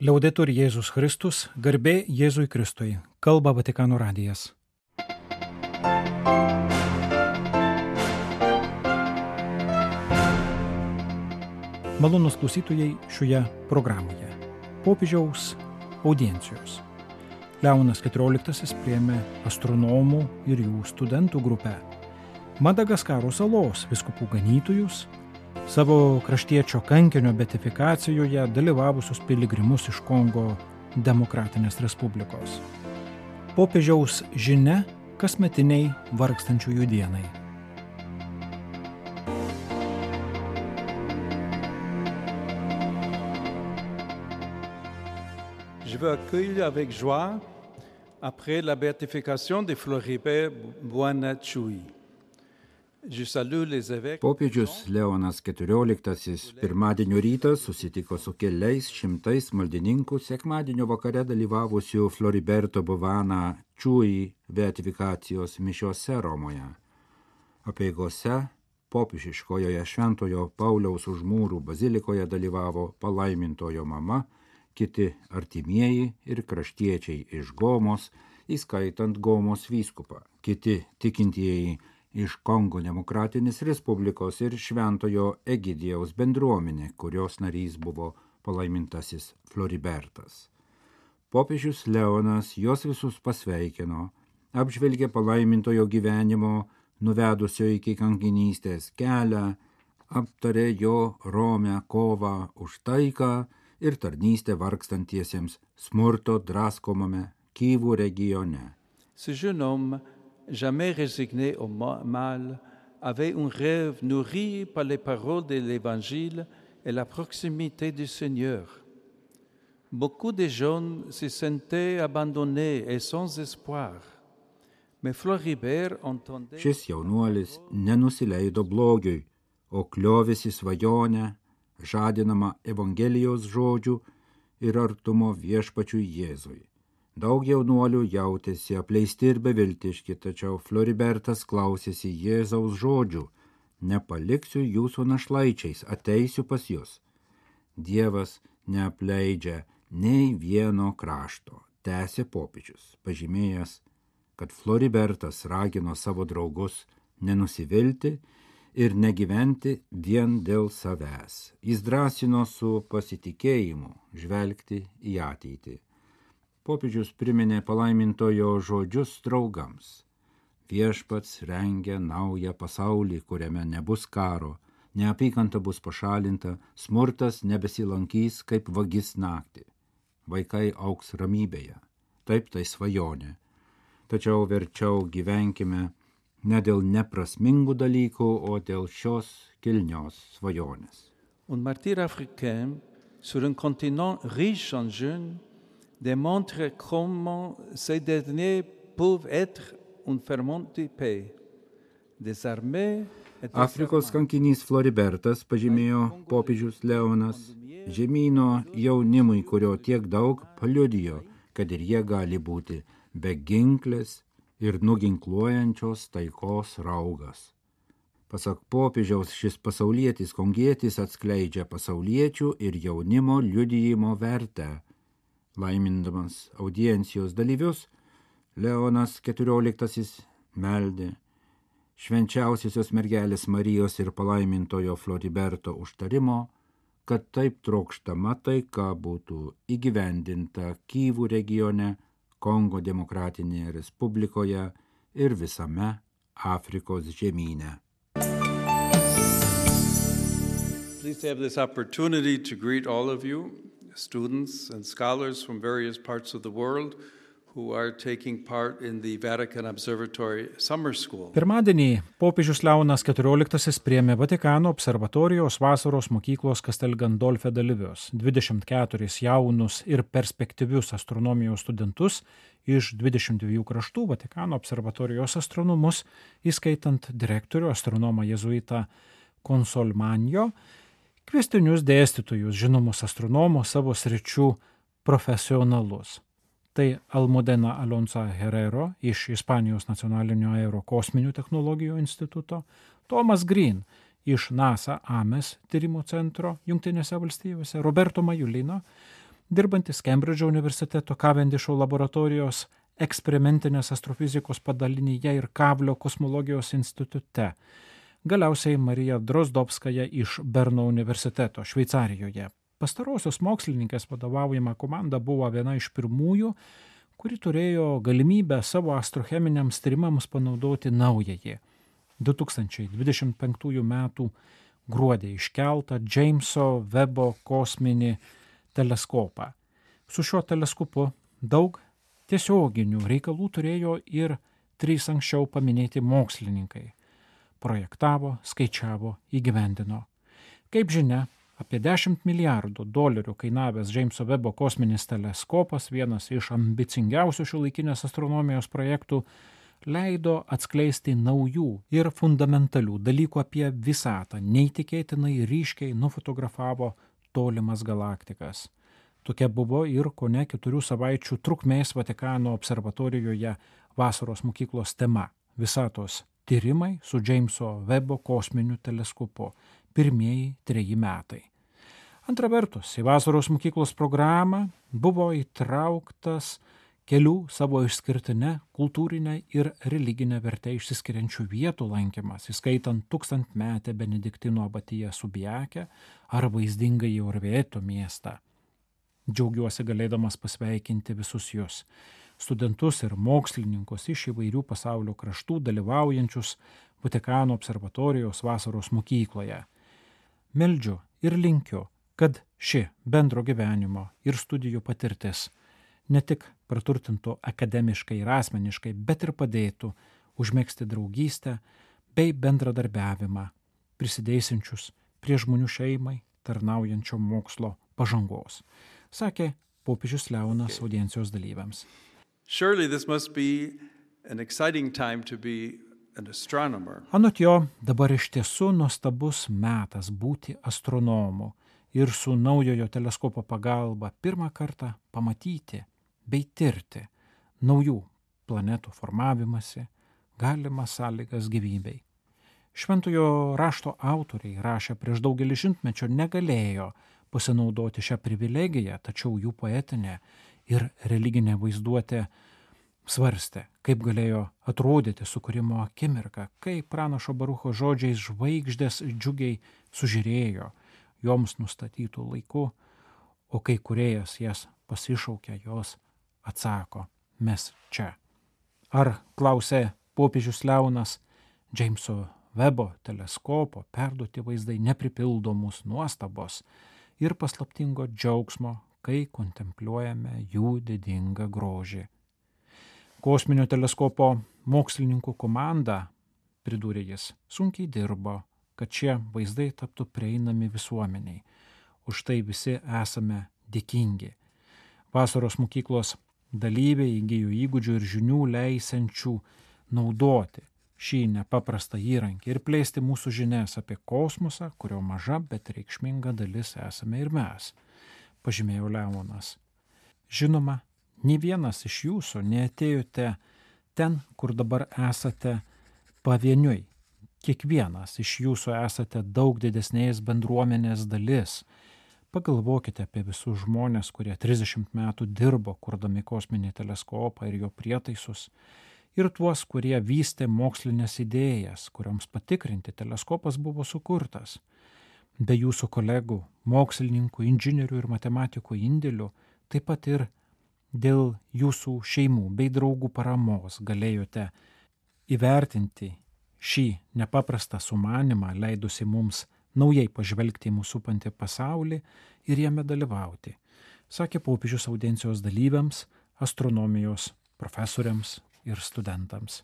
Liaudetur Jėzus Kristus, garbė Jėzui Kristui, kalba Vatikano radijas. Malonūs klausytojai šioje programoje. Popiežiaus audiencijos. Leonas XIV priėmė astronomų ir jų studentų grupę. Madagaskaro salos vyskupų ganytojus, savo kraštiečio kankinio beatifikacijoje dalyvavusius piligrimus iš Kongo Demokratinės Respublikos. Popiežiaus žinia kasmetiniai vargstančiųjų dienai. Je veux accueillir avec joie après la béatification de Floribert Boana-Tchoui. Popiežius Leonas XIV pirmadienio rytą susitiko su keliais šimtais maldininkų sekmadienio vakare dalyvavusių Floriberto Boana-Tchoui beatifikacijos mišiose Romoje. Apeigose popiežiškojoje Šventojo Pauliaus už mūrų bazilikoje dalyvavo palaimintojo mama, kiti artimieji ir kraštiečiai iš Gomos, įskaitant Gomos vyskupą, kiti tikintieji iš Kongo Demokratinės Respublikos ir Šventojo Egidijaus bendruomenė, kurios narys buvo palaimintasis Floribertas. Popiežius Leonas juos visus pasveikino, apžvelgė palaimintojo gyvenimo, nuvedusio iki kankinystės kelią, aptarė jo romią kovą už taiką ir tarnystę vargstantiesiems smurto draskomame Kyvų regione. Ce jeune homme, jamais résigné au mal, avait un rêve nourri par les paroles de l'Évangile et la proximité du Seigneur. Beaucoup de jeunes se sentaient abandonnés et sans espoir. Mais Floribert entendait... Šis jaunuolis nenusileido blogiui, o kliovėsi svajonę, žadinama Evangelijos žodžių ir artumo viešpačiui Jėzui. Daug jaunuolių jautėsi apleisti ir beviltiški, tačiau Floribertas klausėsi Jėzaus žodžių: nepaliksiu jūsų našlaičiais, ateisiu pas jūs. Dievas neapleidžia nei vieno krašto, tęsė popiežius, pažymėjęs, kad Floribertas ragino savo draugus nenusivilti ir negyventi vien dėl savęs. Jis drąsino su pasitikėjimu žvelgti į ateitį. Popiežius priminė palaimintojo žodžius draugams. Viešpats rengia naują pasaulį, kuriame nebus karo, neapykanta bus pašalinta, smurtas nebesilankys kaip vagis naktį. Vaikai augs ramybėje. Taip tai svajonė. Tačiau verčiau gyvenkime ne dėl neprasmingų dalykų, o dėl šios kilnios svajonės. Un martyr africain sur un continent riche en jeunes démontre comment ces derniers peuvent être un ferment de paix. Désarmés et Afrikos kankinys Floribertas, pažymėjo popiežius Leonas, žemyno jaunimui, kurio tiek daug, paliudijo, kad ir jie gali būti beginklės ir nuginkluojančios taikos raugas. Pasak popiežiaus, šis pasaulietis kongietis atskleidžia pasauliečių ir jaunimo liudijimo vertę. Laimindamas audiencijos dalyvius, Leonas XIV meldė švenčiausiosios mergelės Marijos ir palaimintojo Floriberto užtarimo, kad taip trokštama taika būtų įgyvendinta Kyvų regione, Kongo Demokratinėje Respublikoje ir visame Afrikos žemyne. Pleased to have this opportunity to greet all of you, students and scholars from various parts of the world who are taking part in the Vatican Observatory Summer School. Pirmadienį popiežius Leonas XIV priėmė Vatikano observatorijos vasaros mokyklos Castel Gandolfe dalyvius, 24 jaunus ir perspektyvius astronomijos studentus iš 22 kraštų, Vatikano observatorijos astronomus, įskaitant direktorių astronomą jėzuitą Consolmanio, kvestinius dėstytojus, žinomus astronomus, savo sričių profesionalus. Tai Almudena Alonso Herrero iš Ispanijos nacionalinio aerokosminių technologijų instituto, Thomas Green iš NASA Ames tyrimo centro Jungtinėse valstijose, Roberto Majulino dirbantis Kembridžo universiteto Cavendisho laboratorijos eksperimentinės astrofizikos padalinyje ir Kablio kosmologijos institute. Galiausiai Marija Drozdovskaja iš Berno universiteto Šveicarijoje. Pastarosios mokslininkės vadovaujama komanda buvo viena iš pirmųjų, kuri turėjo galimybę savo astrocheminiams tyrimams panaudoti naująjį 2025 metų gruodį iškeltą Jameso Webbo kosminį teleskopą. Su šiuo teleskopu daug tiesioginių reikalų turėjo ir 3 anksčiau paminėti mokslininkai. Projektavo, skaičiavo, įgyvendino. Kaip žinia, apie $10 milijardų kainavęs Jameso Webbo kosminis teleskopas, vienas iš ambicingiausių šiuolaikinės astronomijos projektų, leido atskleisti naujų ir fundamentalių dalykų apie visatą, neįtikėtinai ryškiai nufotografavo tolimas galaktikas. Tokia buvo ir kone 4 savaičių trukmės Vatikano observatorijoje vasaros mokyklos tema – visatos tyrimai su Jameso Webbo kosminiu teleskopu, pirmieji 3 metai. Antra vertus, į vasaros mokyklos programą buvo įtrauktas kelių savo išskirtinę kultūrinę ir religinę vertę išsiskiriančių vietų lankymas, įskaitant 1000-metę Benediktino abatiją Subiakę ar vaizdingąjį Orvieto miestą. Džiaugiuosi galėdamas pasveikinti visus jūs, studentus ir mokslininkus iš įvairių pasaulio kraštų dalyvaujančius Vatikano observatorijos vasaros mokykloje. Meldžiu ir linkiu, kad ši bendro gyvenimo ir studijų patirtis ne tik praturtintų akademiškai ir asmeniškai, bet ir padėtų užmegzti draugystę bei bendradarbiavimą, prisidėsiančius prie žmonių šeimai tarnaujančio mokslo pažangos, sakė popiežius Leonas audiencijos dalyviams. Surely this must be an exciting time to be an astronomer. Anot jo, dabar iš tiesų nuostabus metas būti astronomu ir su naujojo teleskopo pagalba pirmą kartą pamatyti bei tirti naujų planetų formavimąsi, galimas sąlygas gyvybei. Šventojo rašto autoriai rašę prieš daugelį šimtmečių negalėjo pasinaudoti šią privilegiją, tačiau jų poetinė ir religinė vaizduotė svarstė, kaip galėjo atrodyti sukūrimo akimirka, kai pranašo Barucho žodžiais žvaigždės džiugiai sužiūrėjo joms nustatytų laiku, o kai kūrėjas jas pasišaukė, jos atsako, mes čia. Ar, klausė popiežius Leonas, Jameso Webbo teleskopo perduoti vaizdai nepripildomus nuostabos ir paslaptingo džiaugsmo, kai kontempliuojame jų didingą grožį. Kosminio teleskopo mokslininkų komanda, pridūrė jis, sunkiai dirbo, kad šie vaizdai taptų prieinami visuomeniai. Už tai visi esame dėkingi. Vasaros mokyklos dalyviai įgijo įgūdžių ir žinių leisiančių naudoti šį nepaprastą įrankį ir plėsti mūsų žinias apie kosmosą, kurio maža, bet reikšminga dalis esame ir mes, pažymėjo Leonas. Žinoma, nė vienas iš jūsų neatėjote ten, kur dabar esate pavieniui. Kiekvienas iš jūsų esate daug didesnės bendruomenės dalis. Pagalvokite apie visus žmonės, kurie 30 metų dirbo, kurdami kosminį teleskopą ir jo prietaisus, ir tuos, kurie vystė mokslinės idėjas, kurioms patikrinti teleskopas buvo sukurtas. Be jūsų kolegų, mokslininkų, inžinierių ir matematikų indėlių, taip pat ir dėl jūsų šeimų bei draugų paramos galėjote įvertinti šį nepaprastą sumanimą, leidusi mums naujai pažvelgti į mūsų supantį pasaulį ir jame dalyvauti, sakė popiežius audiencijos dalyviams, astronomijos profesoriams ir studentams.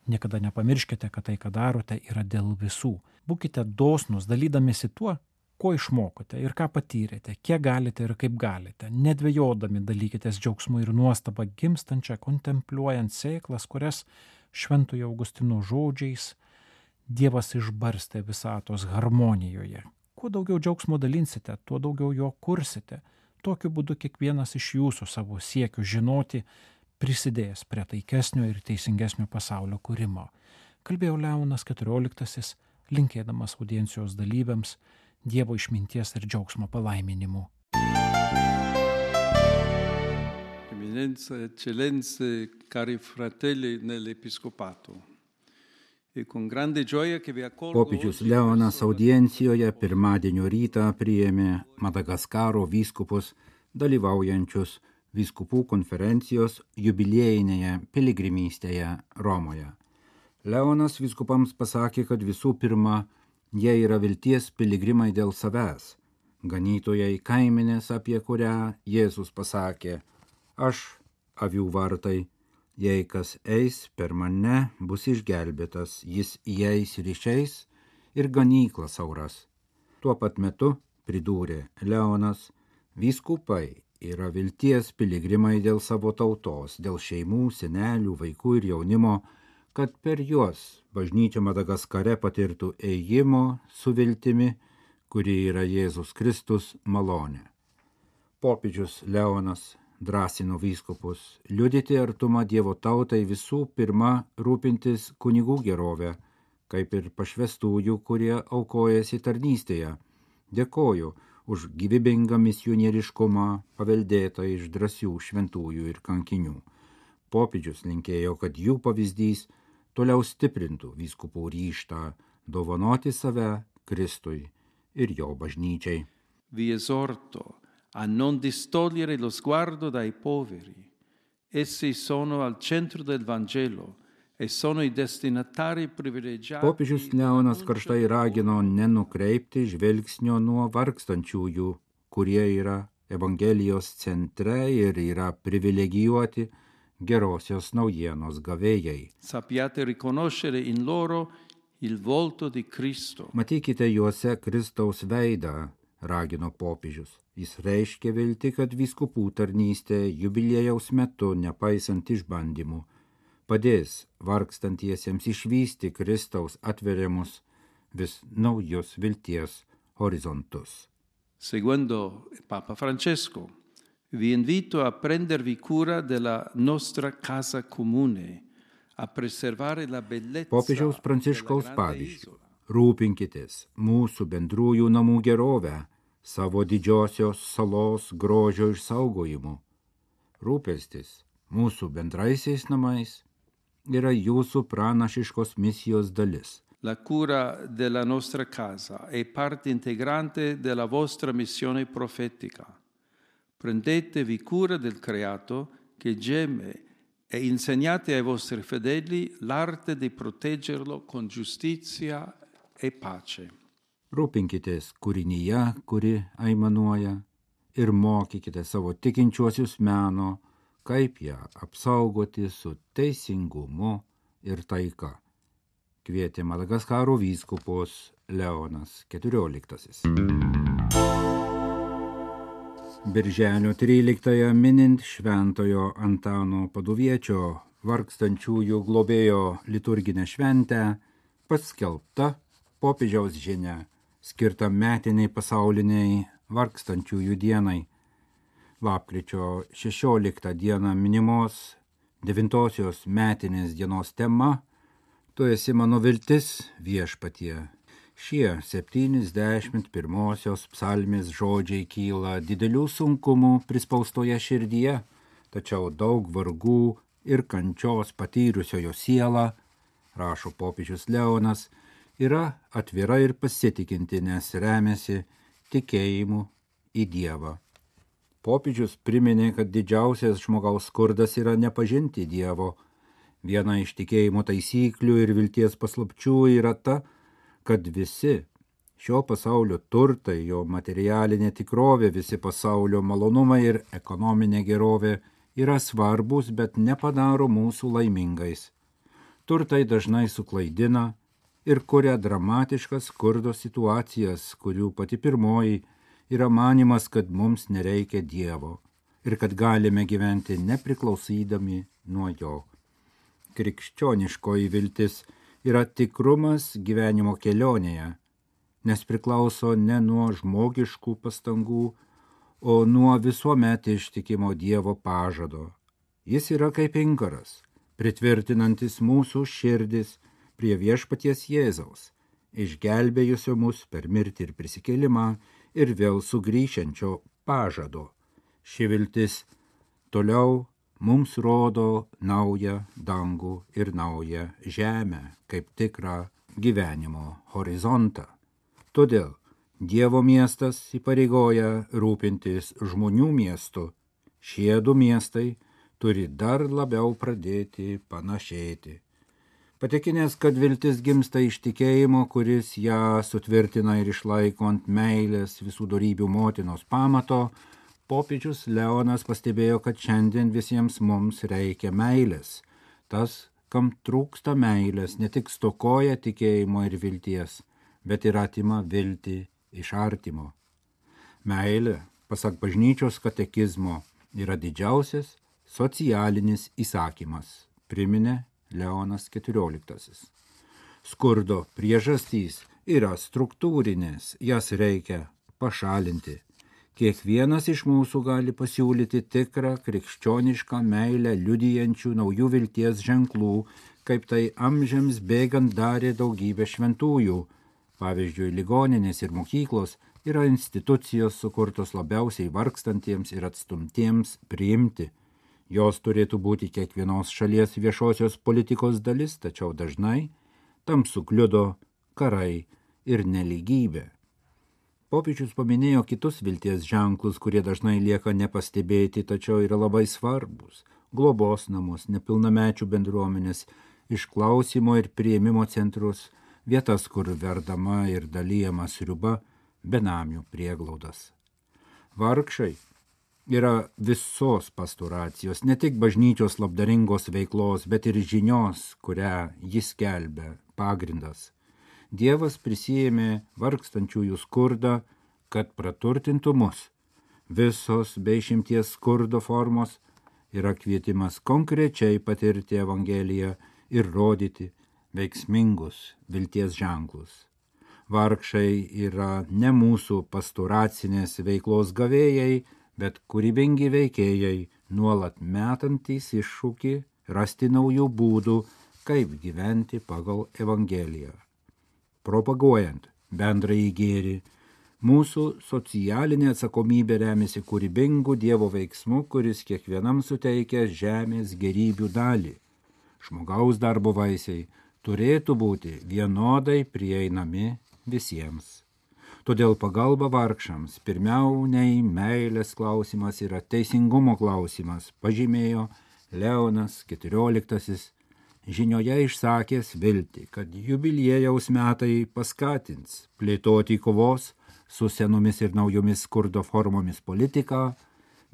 Niekada nepamirškite, kad tai, ką darote, yra dėl visų. Būkite dosnūs, dalydamėsi tuo, ko išmokote ir ką patyrėte, kiek galite ir kaip galite, nedvejodami dalykitės džiaugsmu ir nuostabą gimstančią, kontempliuojant sėklas, kurias Šventojo Augustino žodžiais Dievas išbarstė visatos harmonijoje. Kuo daugiau džiaugsmo dalinsite, tuo daugiau jo kursite. Tokiu būdu kiekvienas iš jūsų savo siekių žinoti prisidės prie taikesnio ir teisingesnio pasaulio kūrimo. Kalbėjo Leonas XIV, linkėdamas audiencijos dalyviams Dievo išminties ir džiaugsmo palaiminimų. eccellenze, cari fratelli nell'Episcopato. E con grande gioia che vi accolgo Popiežius oggi Leonas presso la audiencijoje pirmadienio rytą priėmė Madagaskaro vyskupus dalyvaujančius vyskupų konferencijos jubiliejinėje piligrimystėje Romoje. Leonas vyskupams pasakė, kad visų pirma, jie yra vilties piligrimai dėl savęs, ganytojai kaimenės, apie kurią Jėzus pasakė: aš avių vartai, jei kas eis per mane, bus išgelbėtas, jis įeis ir išeis ir ganykla sauras. Tuo pat metu, pridūrė Leonas, vyskupai yra vilties piligrimai dėl savo tautos, dėl šeimų, senelių, vaikų ir jaunimo, kad per juos bažnyčia Madagaskare patirtų ėjimo su viltimi, kuri yra Jėzus Kristus malonė. Popiežius Leonas drąsino vyskupus liudyti artumą Dievo tautai, visų pirma rūpintis kunigų gerovę, kaip ir pašvestųjų, kurie aukojasi tarnystėje. Dėkoju už gyvybingą misionieriškumą paveldėtą iš drąsių šventųjų ir kankinių. Popiežius linkėjo, kad jų pavyzdys toliau stiprintų vyskupų ryžtą dovanoti save Kristui ir jo bažnyčiai. vi esorto a non distogliere lo sguardo dai poveri. Essi sono al centro del Vangelo e sono i destinatari privilegiati. Popiežius Leonas karštai ragino nenukreipti žvelgsnio nuo vargstančiųjų, kurie yra Evangelijos centre ir yra privilegijuoti gerosios naujienos gavėjai. Sappiate riconoscere in loro il volto di Cristo. Matykite juose Kristaus veidą, ragino popiežius. Jis reiškia viltį, kad vyskupų tarnystė jubiliejaus metu, nepaisant išbandymų, padės vargstantiesiems išvysti Kristaus atveriamus vis naujus vilties horizontus. Seguendo Papa Francesco, vi invito a prendervi cura della nostra casa comune, a preservare la bellezza Popiežiaus Pranciškaus della grande pavyzdžių. isola. Rūpinkitės mūsų bendrųjų namų gerovę, savo didžiosios salos grožio išsaugojimu. Rūpestis mūsų bendraisiais namais yra jūsų pranašiškos misijos dalis. La cura della nostra casa è parte integrante della vostra missione profetica. Prendetevi cura del creato che geme e insegnate ai vostri fedeli l'arte di proteggerlo con giustizia e pace. Rūpinkitės kūrinyje, kuri aimanuoja, ir mokykite savo tikinčiuosius meno, kaip ją apsaugoti su teisingumu ir taika. Kvietė Madagaskaro vyskupus Leonas XIV. Birželio 13 minint Šventojo Antano Paduviečio vargstančiųjų globėjo liturginę šventę, paskelbta popiežiaus žinia, skirta metiniai pasauliniai vargstančiųjų dienai. Lapkričio 16 dieną minimos 9-osios metinės dienos tema Tu esi mano viltis, viešpatie. Šie 71-osios psalmės žodžiai kyla didelių sunkumų prispaustoje širdyje, tačiau daug vargų ir kančios patyrusiojo siela, rašo popiežius Leonas, yra atvira ir pasitikinti, nes remiasi tikėjimu į Dievą. Popiežius priminė, kad didžiausias žmogaus skurdas yra nepažinti Dievo. Viena iš tikėjimo taisyklių ir vilties paslapčių yra ta, kad visi šio pasaulio turtai, jo materialinė tikrovė, visi pasaulio malonumai ir ekonominė gerovė yra svarbus, bet nepadaro mūsų laimingais. Turtai dažnai suklaidina ir kuria dramatiškas skurdo situacijas, kurių pati pirmoji yra manimas, kad mums nereikia Dievo ir kad galime gyventi nepriklausydami nuo jo. Krikščioniškoji viltis yra tikrumas gyvenimo kelionėje, nes priklauso ne nuo žmogiškų pastangų, o nuo visuomet ištikimo Dievo pažado. Jis yra kaip inkaras, pritvirtinantis mūsų širdis prie viešpaties Jėzaus, išgelbėjusio mus per mirtį ir prisikėlimą ir vėl sugrįšiančio pažado. Ši viltis toliau mums rodo naują dangų ir naują žemę, kaip tikrą gyvenimo horizontą. Todėl Dievo miestas įpareigoja rūpintis žmonių miestu. Šie du miestai turi dar labiau pradėti panašėti. Patikinęs, kad viltis gimsta iš tikėjimo, kuris ją sutvirtina ir išlaiko ant meilės visų dorybių motinos pamato, popiežius Leonas pastebėjo, kad šiandien visiems mums reikia meilės. Tas, kam trūksta meilės, ne tik stokoja tikėjimo ir vilties, bet ir atima viltį iš artimo. Meilė, pasak bažnyčios katekizmo, yra didžiausias socialinis įsakymas, priminė Leonas XIV. Skurdo priežastys yra struktūrinės, jas reikia pašalinti. Kiekvienas iš mūsų gali pasiūlyti tikrą krikščionišką meilę liudijančių naujų vilties ženklų, kaip tai amžiams bėgant darė daugybė šventųjų. Pavyzdžiui, ligoninės ir mokyklos yra institucijos sukurtos labiausiai vargstantiems ir atstumtiems priimti. Jos turėtų būti kiekvienos šalies viešosios politikos dalis, tačiau dažnai tam sukliudo karai ir nelygybė. Popiežius paminėjo kitus vilties ženklus, kurie dažnai lieka nepastebėti, tačiau yra labai svarbus. Globos namus, nepilnamečių bendruomenės, išklausimo ir priėmimo centrus, vietas, kur verdama ir dalyjama sriuba, benamių prieglaudas. Vargšai yra visos pastoracijos, ne tik bažnyčios labdaringos veiklos, bet ir žinios, kurią jis skelbia, pagrindas. Dievas prisijėmė vargstančiųjų skurdą, kad praturtintų mus. Visos be išimties skurdo formos yra kvietimas konkrečiai patirti Evangeliją ir rodyti veiksmingus vilties ženklus. Vargšai yra ne mūsų pastoracinės veiklos gavėjai, bet kūrybingi veikėjai, nuolat metantys iššūkį rasti naujų būdų, kaip gyventi pagal Evangeliją. Propaguojant bendrąjį gėrį, mūsų socialinė atsakomybė remiasi kūrybingų Dievo veiksmų, kuris kiekvienam suteikia žemės gėrybių dalį. Žmogaus darbo vaisiai turėtų būti vienodai prieinami visiems. Todėl pagalba vargšams pirmiau nei meilės klausimas yra teisingumo klausimas, pažymėjo Leonas XIV, žinioje išsakęs viltį, kad jubiliejaus metai paskatins plėtoti kovos su senomis ir naujomis skurdo formomis politiką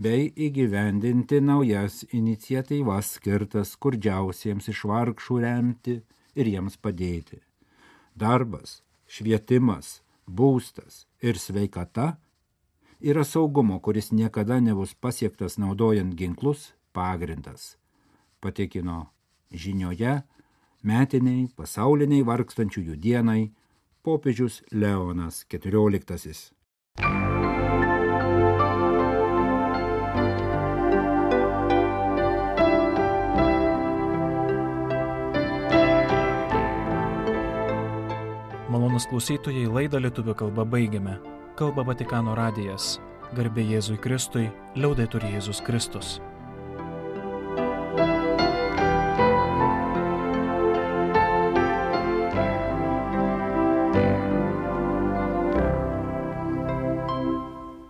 bei įgyvendinti naujas iniciatyvas skirtas skurdžiausiems iš vargšų remti ir jiems padėti. Darbas, švietimas, būstas ir sveikata yra saugumo, kuris niekada nebus pasiektas naudojant ginklus, pagrindas, patikino žinioje metiniai pasauliniai vargstančiųjų dienai popiežius Leonas XIV. Malonūs klausytojai, laidą lietuvių kalba baigiame. Kalba Vatikano radijas. Garbė Jėzui Kristui, liaudetur Jėzus Kristus.